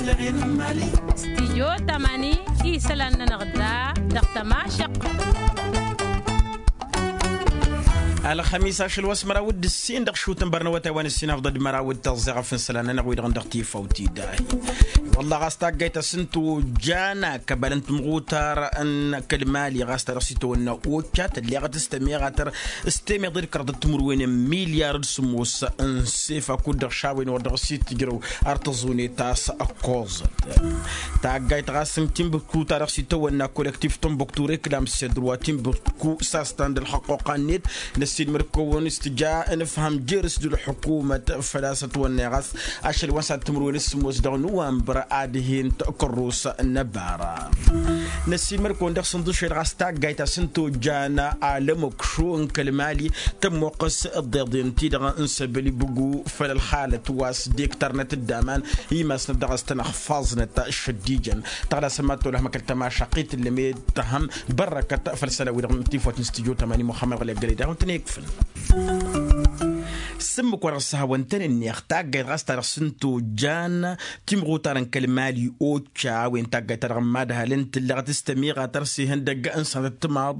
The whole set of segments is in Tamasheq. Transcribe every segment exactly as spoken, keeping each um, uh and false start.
Stijyo tamani isălan-nănăɣ da dăɣ-tămašăq. Ălxămis ašăl wa s-măraw d-ǝssin dăɣ-išutăn bărnăwătay wa n-ǝssin afḍăd măraw d-tăẓẓeɣăf n-isălan-nănăɣ wi-dăɣ n-dăɣ-tifawt-i dahi. Wălla ɣas taggayt a-s n-tojjan akăbal n-timɣutar n-kăl-mali ɣas ta dăɣ-s itawănna occa tălleɣăt s-tămiɣatăr s-temeḍe d-kăraḍăt timǝrwen n-milyar d-sǝmmos n-sefa kud-dăɣ šawen wăr dăɣ-s itǝjrăw ar tăẓunet a-s ăkkoẓăt. Taggayt ɣas n-timbǝktu ta dăɣ-s itawănna kolektif tămbuktu reklam s-edru wa timbǝktu s-astan d-ălxăqquqa-net. Năssiilmăd-kăwăn s-tǝja n-ǝfham jer-s d-ălḥukumăt făl-a-s ătwănnăy ɣas ašăl wa n-săt timǝrwen s-sǝmmos dăɣ-nuwănbăr ad-hin-t kărrus n-ăbara. Năssiilmăd-kăwăn dăɣ-sǝnḍǝšel ɣas taggayt a-s n-tojjan alămăkšu n-kăl-mali tămmoqqăs ǝḍḍeḍen-ti-dăɣ n-săbăl ibǝgu făll-ălxalăt wa s-dektarnăt dd-aman imasnăt dăɣ-s tăn-ăxfaẓnăt šăddijăn. Tăɣlasăm ad-tolăhăm akăl tămašaqit ǝllăm i-tăhăm bărrăkăt făll-isălan-wi-dăɣ n-tifwăt n-studyo tămani muxămmăd ɣǝlăggălăy daɣ wǝntăn ikfǝn. S-ǝmmǝk wa dăɣ-s hawăn-tăn-ǝnneɣ taggayt ɣas ta dăɣ-s n-tojjan timɣutar n-kăl-mali occa a-wen taggayt ta dăɣ-n madhal n-tǝllăɣăt s-tămiɣatăr s-ihăndăgg n-sănătăt timaḍ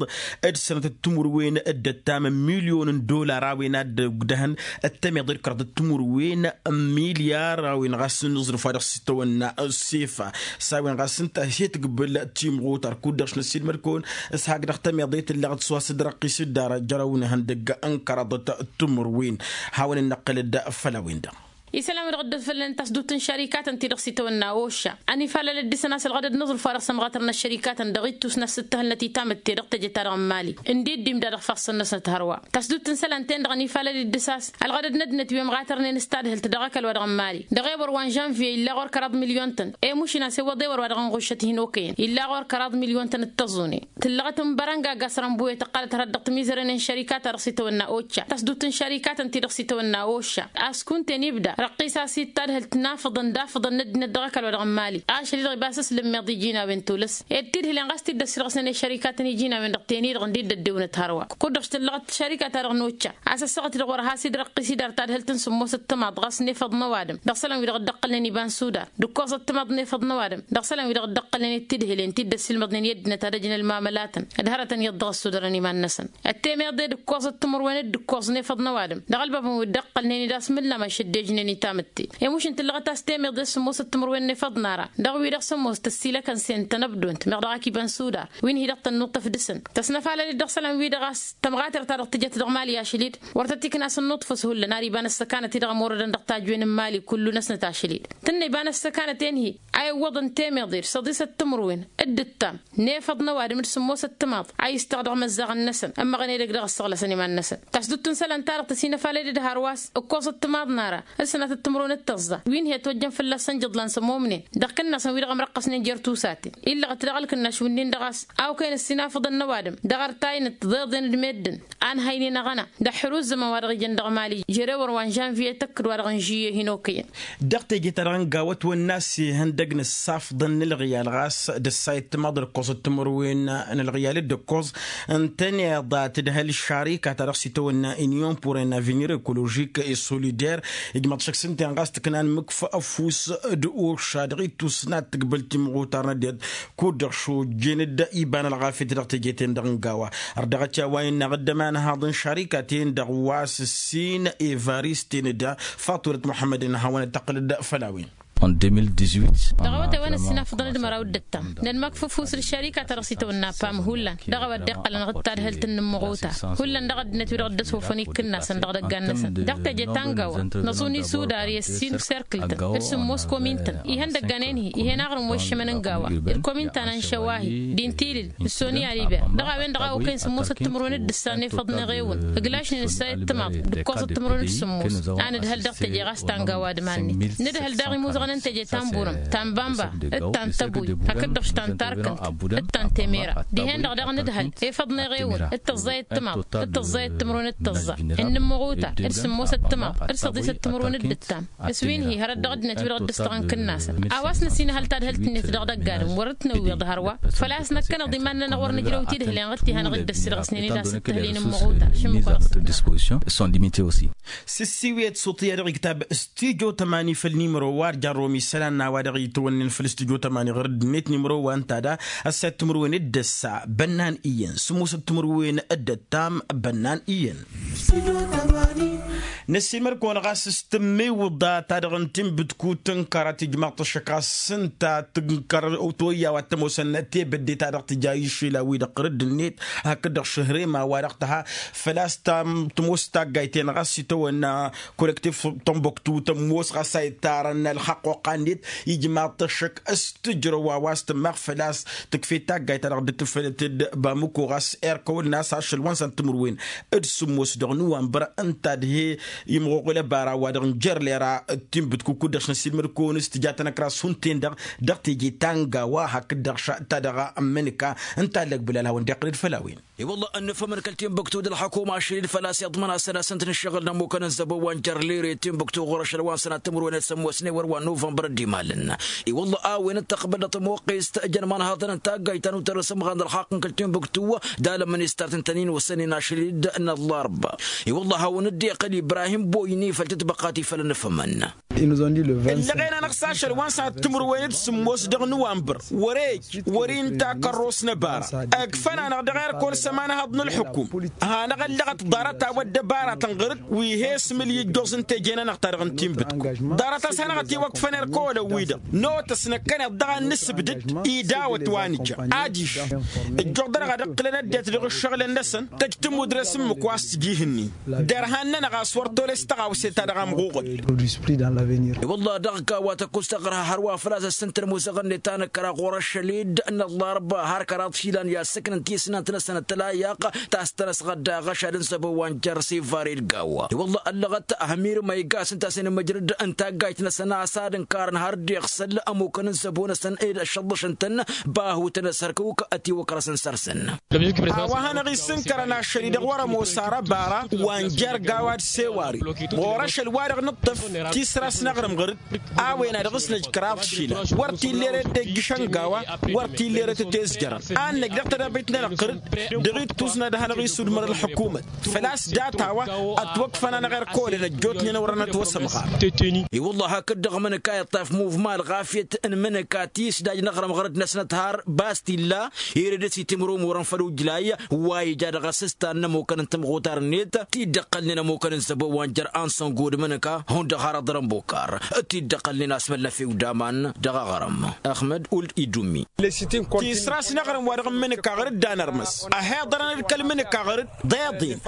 d-sănătăt timǝrwen d-ăttam n-milyon n-dollar a-wen ad-dd-ǝgdăhăn ăttămeḍe d-kăraḍăt timǝrwen n-milyar a-wen ɣas n-aẓrǝf wa dăɣ-s itawănna s-sefa s-a-wen ɣas ǝnta hi-tǝgbǝl timɣutar kud-dăɣ š-năssiilmăd-kăwăn s-hak dăɣ-tămeḍe tǝllăɣăt s-wa s-dd-răqqis dd-ara jărăw n-ihăndăgg n-kăraḍăt timǝrwen. Hawăn-dd-năqqǝl-dd făll-a-wen-dăɣ. Isălan-wi-dăɣ dd-ăfălăn tasdut n-šărikatăn-ti-dăɣ s-itawănna ošša ănifalăl d-isăn a-s ălɣădăd n-aẓrǝf wa dăɣ-sămɣatărnăt šărikatăn dăɣ-ittus n-asǝttăhălnăt i-tamǝtte dăɣ-teje-ta-dăɣ n-mali ǝndiddim d-ad-ăɣfăɣ săn-năsnăt hărwa. Tasdut n-isălan-ten-dăɣ ănifalăl d-ǝssa a-s ălɣădăd n-ăddinăt wi ămɣatărnen s-tadhǝlt dăɣ-ăkall-wa-dăɣ n-mali dăɣ-ewăr wa n-žănvye illa ɣur-kăraḍ milyon-tăn. Emušǝn a-s iwwăḍ ewăr wa dăɣ-ănɣuššăt hin-okăyăn illa ɣur-kăraḍ milyon-tăn d-tăẓẓune. Tǝllăɣăt n-bărănga gasărăn buye tăqqalăt hărăt dăɣ-timizăren n-šărikatăn dăɣ-s itawănna occa tasdut n-šărikatăn-ti-dăɣ s-itawănna occa a-s kunta-en ibda răqqis a-s ittadhǝlt n-afǝḍăn d-afǝḍăn n-ăddinăt dăɣ-ăkall wa dăɣ-n mali. Ašăl-i-dăɣ ibas s-lǝmmeḍ iji n-a-wen tolăs ed tidhǝlen ɣas t-dd-ăssirɣǝsnen i-šărikatăn iji n-a-wen-dăɣ ten-i-dăɣ ǝndin dd-ăddewǝnăt hărwa. Kud-dăɣ s-tǝllăɣăt šărika-ta-dăɣ n-occa a-s ăssaɣăt-i-dăɣ wăr has-dd-răqqis-i d-ar tadhǝlt n-sǝmmosăt timaḍ ɣas n-efăḍ n-ăwadǝm dăɣ-isălan-wi-dăɣ dd-ăqqălnen iba n-sudar d-ǝkkoẓăt timaḍ n-efăḍ n-ăwadǝm dăɣ-isălan-wi-dăɣ dd-ăqqălnen i-tidhǝlen ti dd-ăssiilmăḍnen i-ăddinăt ad-ăjǝn ălmamălatăn d-hărătăn iyyăḍ dăɣ-ăssudărăn iman-năsăn. Ăttemeḍe d-ǝkkoẓăt timǝrwen d-ǝkkoẓ n-efăḍ n-ăwadǝm dăɣ-ălbabăn wi dd-ăqqălnen-dd a-s mǝllam ašăl dd-ejnen i-tamǝtte. Emušǝn tǝllăɣăt a-s temeḍe s-sǝmmosăt timǝrwen n-efăḍ n-ara dăɣ-wi-dăɣ sămmos tăssiilăkăn s-en tănăbdont meɣ dăɣ-ak iba n-sudar wi n-hi-dăɣ tănnuṭṭăf dăɣ-săn tăsnăfalăl-dd dăɣ-isălan-wi-dăɣ a-s tămɣatert-ta-dăɣ tǝjăt dăɣ-mali ašăl-dd wăr tăt-ikna s-ănnuṭfăs hullan ar iba n-ăssăkanăt-i-dăɣ ămorădăn dăɣ-tajwen n-mali kullu-năsnăt ašăl-dd. Tǝnna iba n-ăssăkanăt-en-hi a iwwăḍăn temeḍe d-săḍisăt timǝrwen d-ǝttam n-efăḍ n-ăwadǝm d-sǝmmosăt timaḍ a istăɣ dăɣ-imăzzaɣăn-năsăn ămmăɣăn edăgg dăɣ-ăssăɣlăsăn iman-năsăn. Tasdut n-isălan-ta-dăɣ tăsinăfalăd d-hărwa s-ǝkkoẓăt timaḍ n-ara d-sănatăt timǝrwen d-tăẓẓa wi n-hi-ătwăjjăn fălla-săn jǝḍlan s-ămomnen dăɣ-ikǝnnasăn wi-dăɣ ămrăqqăsnen jer-tusaten. Illăɣ-t dăɣ-ălkǝnnaš wi-nin-dăɣ a-s a okăyăn ăssinafăḍăn n-ăwadǝm dăɣ-ărtay n-ăttiḍeḍen d-meddǝn a ǝnhăynen aɣăna. Dăɣ-ḥruzămăn wa dăɣ-ijăn dăɣ-mali jer-ewăr wa n-žănviye tăkkǝd wa dăɣ-inžǝyye hin-okăyăn. Dăɣ-teje-ta-dăɣ n-gawa ătwănna s-ihăndăg n-ǝssafḍăn n-ǝlɣiyal ɣas d-ǝssayăt timaḍ d-ǝkkoẓăt timǝrwen n-ǝlɣiyal d-ǝkkoẓ ǝntăneḍ a tǝdhăl šarika-ta-dăɣ s-itawănna inyon pur en avenir ekoložik et solidaire. Ijmăḍ šăkk s-ǝnta-en ɣas tǝknan mǝkf ăfuss d-oša dăɣ-ittus n-ad-tǝgbǝl timɣutar n-ăddinăt kud-dăɣ šojjen-dd iba n-ălɣafyăt dăɣ-teje-ten-dăɣ n-gawa. Ărdăɣăt i-a-wa innă ad-ămanhaḍ n-šarika-ten-dăɣ wa s-ǝssin evarist-en-dd faturăt muḥămmăd-en ad-hawăn-dd-tăqqǝlăd făll-a-wen. En deux mille dix-huit. Dăɣ-awătay wa n-ăssinafăḍăn d-măraw d-ǝttam nănmăkf ăfuss d-šarika-ta-dăɣ s-itawănna pam hullan dăɣ-a-wa dd-iqqălăn ɣǝd tadhǝlt n-inǝmmăɣuta hullan dăɣ-ăddinăt wi-dăɣ dd-ăsofăn ikǝnnasăn dăɣ-idăggan-năsăn dăɣ-teje ta n-gawa. Năẓun isudar i-ăssin serkǝl-tăn d-sǝmmos komin-tăn ihăndăggan-en-hi ih'-en aɣrǝm wa iššămăn n-gawa d-komin ta n-anšăwa-hi d-intilǝl d-soni aliber dăɣ-a-wen-dăɣ a okăyăn sǝmmosăt timǝrwen d-ǝssa n-efăḍ n-eɣewăn ǝglašnen ǝssayăt timaḍ d-ǝkkoẓăt timǝrwen d-sǝmmos. A nǝdhăl dăɣ-teje ɣas ta n-gawa d-iman-net nǝdhăl daɣ imuzăɣăn n-teje ta n-burăm ta n-bamba d-ta n-tăbuy hakd-dăɣ ta n-tarkǝnt d-ta n-temera. Dihen-dăɣ daɣ nǝdhăl efăḍ n-eɣewăn d-tăẓẓayăt timaḍ d-tăẓẓayăt timǝrwen d-tăẓẓa n-inǝmmăɣuta d-sǝmmosăt timaḍ d-săḍisăt timǝrwen d-ǝttam. S-wi n-hi hărăt dăɣ-ăddinăt wi-dăɣ dd-ăstăɣăn kǝnnasăn a-wa s-năsinăhăl tadhǝlt-net dăɣ-idăgg-adǝm wăr-ǝtnăwwiḍ hărwa. Făl-a-s năkkăneḍ iman-nănăɣ wăr nǝjrăw tidhǝlen ɣǝd ti hanăɣ-dd-ăssirɣǝsnen-dd a-s ǝttǝhǝl inǝmmăɣuta šǝmmǝk-wa-dăɣ s-ǝtnăɣ. S-ǝssiwǝyăt s-uṭṭǝya dăɣ-iktab studyo tămani făll-nimăro wa d-jarrom isălan n-a-wa dăɣ-itwănnen făll-studyo tămani ɣur-dd-net nimăro wa ǝnta da ăssayăt timǝrwen d-ăssa bănnan iyyăn sǝmmosăt timǝrwen d-ăttam bănnan iyyăn. Năssiilmăd-kăwăn ɣas s-tǝmmiwǝḍa ta dăɣ-n tinbǝdkut tǝnkăra tijmaḍ tăššăk ɣas s-ǝnta tǝnkăr toyya wa t-ămoosăn tebădde ta dăɣ-tǝja išila-wi-dăɣ ɣur-dd-net hakd-dăɣ šăhrem a-wa-dăɣ tǝha făl-a-s tămoos taggayt-en ɣas itawănna kolektif tănbăktu tămoos ɣas a ittarăn ălxăqquqa-net ijmaḍ-t ăššăk s-tǝjrăw a-wa s-tǝmmaɣ făl-a-s tǝkfet taggayt-ta-dăɣ dd-tǝfălăt d-bamuko ɣas erkăwăl n-a-s ašăl wa n-săn timǝrwen d-sǝmmos dăɣ-nǝwanbăr ǝnta d-he-imɣuɣǝl ăbara wa-dăɣ n-jer-lera d-tinbǝdku kud-dăɣ s-năsiilmăd-kăwăn s-tǝja tănăkras hunten-dăɣ dăɣ-teje ta n-gawa hakd-dăɣ šăt ta dăɣ-ămmǝnǝka ǝnta ăllăg bǝlal hawăn-dd-iqqǝlăd făll-a-wen. I-wălla ănnăfămăn kăl-tinbǝktu d-ălxăkuma ašăl-dd făl-a-s iḍmăn a-s ad-asăn-tăn ǝššăɣǝl n-ămmukăn n-zăbo wa n-jer-lere tinbǝktu ɣur-ašăl wa n-sănat timǝrwen d-sămmosne wăr wa n-nuvănbăr ăddimalăn. I-wălla a-wen ǝttăqbăl dăɣ-tămoqqest jăn imanhaḍăn n-taggayt ta n-utărrăs ămɣan d-ălxaqq n-kăl-tinbǝktu d-alămmăn istart n-tăn-in-osănen ašăl-dd n-ăllarba. I-wălla a hawăn-dd-iqqǝl ibrahim boyni făll-tǝtbăqqa ti făll-ănnăfămăn. Ǝllăɣen-anăɣ s-ašăl wa n-sănat timǝrwen d-sǝmmos dăɣ-nǝwanbăr wăr-e-ăj wăr-inta kărros n-ăbara. Ǝkfăn-anăɣ dăɣ-erk wăr-s ămanhăḍ n-ălxǝkum hanăɣ-ăllăɣăt ḍarăt a-wa dd-ăbaratăn ɣur-dd wi he-s mǝlǝy ǝjjoẓ n-teje-nănăɣ ta dăɣ-n tinbǝdku. Ḍarăt a-s hanăɣ-ătiwăkfăn erk ăwălăn-wi-dăɣ notăs năkkăneḍ dăɣ-ad-nǝsǝbdăd idawăt wa nǝja adiš. Ǝjjuḍ-anăɣ ad-ǝqqǝlăn ăddinăt dăɣ-ǝššăɣǝlăn-năsăn tăjj tǝmmud dăr-e-s ǝmmǝk wa s-tǝji ihǝnnin. Derhan-nănăɣ a-s wăr tolăs tăɣawse ta dăɣ-amɣuɣǝl. I-wălla dăɣ-gawa tăkkus tăɣrǝha hărwa făl-a-s ăssintăn ămoosăɣ-net ta n-ǝkkăra ɣur-ašăl-dd n-ăllarba har kăraḍ išilan i-ad-sǝknăn tisnant-năsăn ăttăla iyyăq ta s-tăn-ăsɣădda aɣăšad n-săbo wa n-jer-sivare d-gawa. I-wălla ăllăɣăt hămir ma iga a-s ǝnta a-s inǝmmǝjrăd n-taggayt-năsăn a-s ad-ǝnkarăn har dd-iɣsăl ămukăn n-săbo-năsăn ed ăššăḍlăšăn-tăn. Bahutăn ăsărkuk ătiwăkrăsăn săr-săn. A-wa hanăɣ-isǝnkărăn ašăl-i-dăɣ wăr-ămoos ar ăbara wa n-jer-gawa d-sewari ɣur-ašăl-wa-dăɣ nǝṭṭǝf tisra-s n-aɣrǝm ɣur-dd. A-wen a dăɣ-s năj kăraḍ išilan wăr t-illa erăt tejjǝšăn gawa wăr t-illa erăt tezjărăn. Ad-năj dăɣ-tedăbit-nănăɣ ɣur-dd dăɣ-ittus n-ad-hanăɣ-isudmăr ălḥukumăt făl-a-s data-wa ătwăkfăn-anăɣ erk ăwălăn ăjjootnen wăr-ănătwăsămɣar. I-wălla hakd-dăɣ mǝnǝka iṭṭaf muvma ălɣafyăt n-imǝnǝka tisdaj n-aɣrǝm ɣur-dd-năsnăt har bas t-illa. Ere dăr-s itimrǝw murăn făll-ujlay wa ija dăɣ-asǝstan n-ămukăn n-timɣutar-net ti dd-ăqqălnen ămukăn n-zăbo wa n-jer-ansăngo d-imǝnǝka hundăɣ har aḍrăn bokar ti dd-ăqqălnen asmăl n-efew d-aman dăɣ-aɣrǝm. Ăxmăd uld idummi. Tisra-s n-aɣrǝm wa dăɣ-n imǝnǝka ɣur-dd anărmăs ăhiḍărăn d-kăl-imǝnǝka ɣur-dd deḍen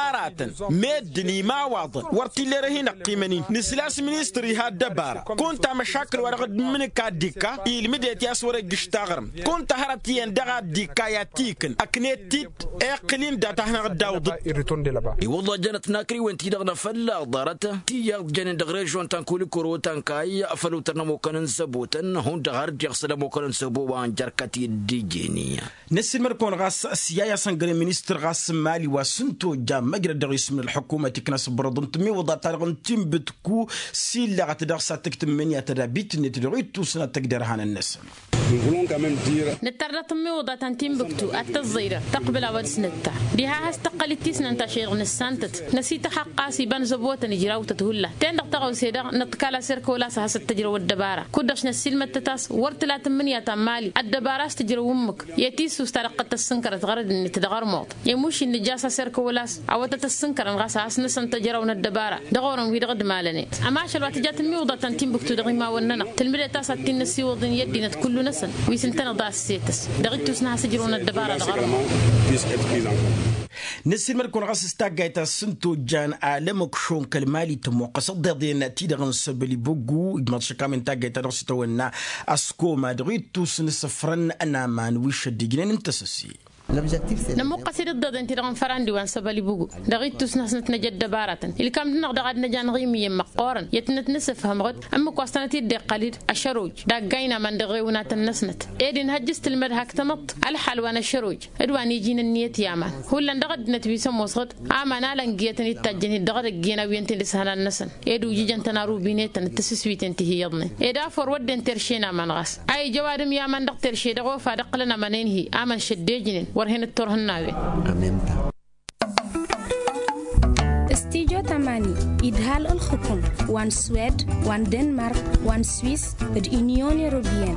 aratăn meddǝn imawaḍăn wăr t-illa erăhin ăqqimăn-in nǝsla a-s ministăr iha ăddăbara. Kunta măšakǝl wa dăɣ-dd-imǝnǝka dd-ikka ilmǝdet i-a-s wăr-ijjǝš taɣrǝmt kunta hărăt iyyăn dăɣ-ad-dd-ikka i-ad-t-ikǝn ăknet-dd iqqǝl-in data-hanăɣ-dd-awǝḍ-dd. I-wălla jănăt n-akriwen-ti-dăɣ n-afălla ḍarăt ti iyyăḍ jănen dăɣ-režion ta n-kulikoro ta n-kayy făll-utăr n-ămukăn n-zăbotăn hundăɣ har dd-iɣsăl ămukăn n-zăbo wa n-jer-kăt-i dd-ijeni. Năssiilmăd-kăwăn ɣas s-iyyăy asăngăre ministăr ɣas n-imali wa s-ǝnta ojja măjrăd dăɣ-isǝm n-ălḥukumăt ikna s-ǝbrăḍăn tǝmmiwǝḍa ta dăɣ-n tinbǝtku s-illăɣăt dăɣ-s ad-tǝjj tǝmmǝnǝya tădabit-net dăɣ-ittus n-ad-tăjj derhanăn-năsăn. Nǝttăr dăɣ-tǝmmiwǝḍa ta n-tinbǝktu ad-tăẓẓăy-dăɣ tăqbǝl a-wa dăɣ-s nǝtta diha a has-tăqqăl d-tisnant ašăl-i-dăɣ nǝssantăt năsităxăqqa a-s iba n-zăbotăn ijrawtăt hulla ten-dăɣ tăɣawse-dăɣ nǝḍkal asǝrkăwăl a-s ad-has-ăttăjrăw ăddăbara kud-dăɣ s-năssiilmăttăt a-s wăr tǝla tǝmmǝnǝya ta n-imali ăddăbara a-s tǝjrăw ǝmmǝk i-tisust ta dăɣ-tăt-tăssǝnkărăt ɣărăd-net dăɣ-ărmuḍ i-mušin nǝjja a-s asǝrkăwăl a-s a-wa tăt-ăssǝnkărăn ɣas a has-năsăn tăjrăwăn ăddăbara dăɣ-orăn-wi-dăɣ d-imalăn-net. Ămašăl wa tǝja tǝmmiwǝḍa ta n-tinbǝktu dăɣ-imawăn-nănăɣ tǝlmǝdet a-s ad-t-in-năssiwǝḍ-in i-ăddinăt kullu-năsăn wi s-ǝntăneḍ a ăssetăs dăɣ-ittus n-ad-has-ǝjrǝwăn ăddăbara dăɣ-ărmuḍ. Năssiilmăd-kăwăn ɣas s-taggayt ta s-ǝnta ojjan alămăkšon kăl-mali tămoqqăs ăḍḍeḍen-ti-dăɣ n-săbăl ibuggu ijmaḍ šăkam-in taggayt ta dăɣ-s itawănna ăskoma dăɣ-ittus n-isǝfrăn n-aman wi šăddijnen n-tăsăse. Nămuqqăs-dd ǝḍḍeḍen-ti-dăɣ n-fărandi wa n-săbăl ibuggu dăɣ-ittus n-hasnăt năj ăddăbaratăn ilkam-dăɣ-năɣ dăɣ-ad-năj anɣim iyyăn măqqoorăn i-ad-tǝnăt-nǝsǝfhăm ɣǝd ǝmmǝk wa s-tănăt-dd-iqqăl-dd ašăroj d-aggayn aman dăɣ-ewǝnatăn-năsnăt ed inhăjj s-tǝlmăd hak tamăḍt ălxal wa n-ašăroj d-wa n-iji n-ǝnniyăt i-aman hullan dăɣ-ăddinăt wi s-ămoos ɣǝd aman alăngi i-ad-tăn-dd-tajjăn-dd dăɣ-edăgg i-ănn a wi ǝnta dd-ǝshănan-năsăn ed ujǝjăn-tăn arubinetăn d-tisǝswiten ti hi-iyyăḍnen ed a făr wădden terše n-aman ɣas a ija ăwadǝm i-aman dăɣ-terše dăɣ-ofa d-ǝqqǝlăn amănen-hi aman šăddejnen wăr hen-dd-turhǝnnawen. Tamani idhal ǝlxǝkǝm wa n-swed wa n-denmark wa n-swis d-inyon europiyăn.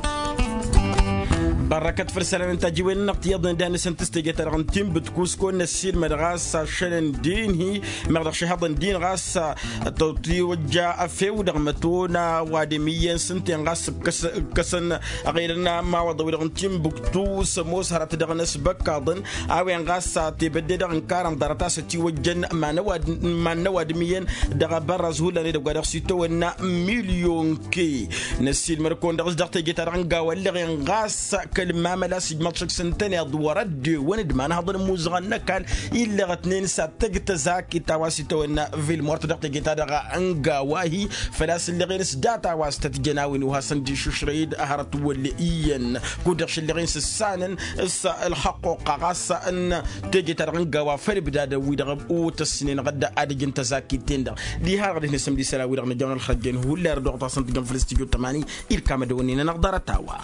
Bărrăkăt făll-isălan n-tajǝwen-năɣ tiyyăḍnen d-ad-nǝsǝntǝs teje-ta-dăɣ n-tinbǝt kusko n-ăssiilmăd ɣas ašăl n-din-hi meɣ dăɣ-šihăḍăn din ɣas tăwtiwăjja afew dăɣ-mătona wa d-ămiyyăn s-ǝnta-en ɣas ǝkkăsăn ăɣilăn mawăḍăw-i-dăɣ n-tinbǝktu s-ămoos hărăt dăɣ-năsbăkkaḍăn a-wen ɣas tebădde-dăɣ n-karăn ḍarăt a-s ătiwăjjăn iman-năw ad-ǝmiyyăn dăɣ-abărraz hullan edăgg wa dăɣ-s itawănna milyon ke. Năssiilmăr-kăwăn-dăɣ s-dăɣ teje-ta-dăɣ n-gawa ǝlleɣ-en ɣas kăl-mamăla s-ijmăḍ šăkk s-ǝntăneḍ wăr-ăddewăn d-imanhăḍăn ămuzăɣăn n-ăkall. Illăɣ-tnen s-ad-tăj tăzakit a-wa s-itawănna vilmort dăɣ-teje-ta-dăɣ n-gawa-hi făl-a-s ǝlleɣ-en s-data a-wa s-tăt-jăn a-wen uhasăn d-išušrăy-dd hărăt wăll' iyyăn. Kud-dăɣ šăllăɣen s-ǝssanăn s-ălxăqquqa ɣas n-teje-ta-dăɣ n-gawa făll-ǝbdadăn-wi-dăɣ otăssnen ɣǝdda ad-ǝjǝn tăzakit-ten-dăɣ. Diha-dăɣ dăɣ-hin-ăsǝmd isălan-wi-dăɣ nǝjăwăn ălxărăjjen hullan dăɣ-dăɣ tasăn tǝjjăn făll-stujo tămani. Irkam ad-ăwănnen-anăɣ ḍarăt-a-wa.